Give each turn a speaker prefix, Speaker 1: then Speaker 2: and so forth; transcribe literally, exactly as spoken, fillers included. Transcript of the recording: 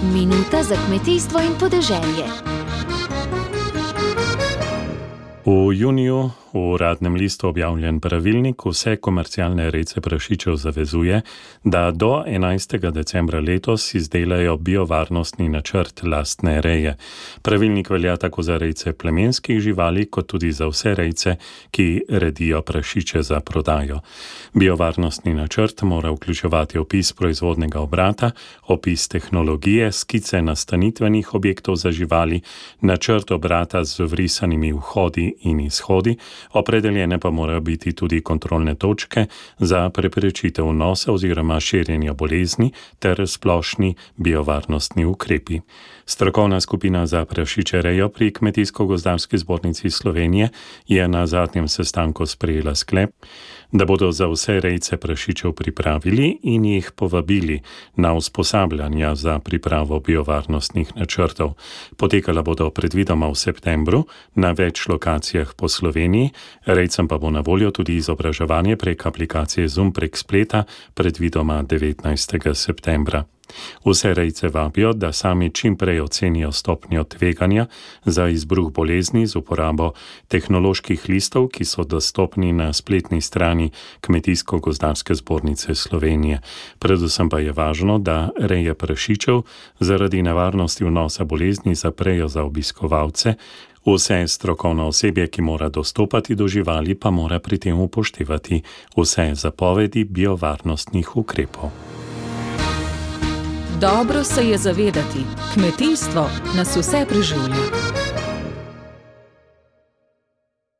Speaker 1: Minuta za kmetijstvo in podeželje.
Speaker 2: V juniju v Uradnem listu objavljen pravilnik vse komercialne rejce prašičev zavezuje, da do enajstega decembra letos izdelajo biovarnostni načrt lastne reje. Pravilnik velja tako za rejce plemenskih živali, kot tudi za vse rejce, ki redijo prašiče za prodajo. Biovarnostni načrt mora vključevati opis proizvodnega obrata, opis tehnologije, skice nastanitvenih objektov za živali, načrt obrata z vrisanimi vhodi in izhodi, opredeljene pa morajo biti tudi kontrolne točke za preprečitev vnosa oziroma širjenja bolezni ter splošni biovarnostni ukrepi. Strokovna skupina za prašičerejo pri Kmetijsko-gozdarski zbornici Slovenije je na zadnjem sestanku sprejela sklep, da bodo za vse rejce prašičev pripravili in jih povabili na usposabljanja za pripravo biovarnostnih načrtov. Potekala bodo predvidoma v septembru na več lokacijah po Sloveniji, rejcem pa bo na voljo tudi izobraževanje prek aplikacije Zoom prek spleta, predvidoma devetnajstega septembra. Vse rejce vabijo, da sami čim prej ocenijo stopnjo tveganja za izbruh bolezni z uporabo tehnoloških listov, ki so dostopni na spletni strani Kmetijsko-gozdarske zbornice Slovenije. Predvsem pa je važno, da reje prašičev zaradi nevarnosti vnosa bolezni zaprejo za obiskovalce. Vse strokovno osebje, ki mora dostopati do živali, pa mora pri tem upoštevati vse zapovedi biovarnostnih ukrepov.
Speaker 3: Dobro se je zavedati, kmetijstvo nas vse preživlja.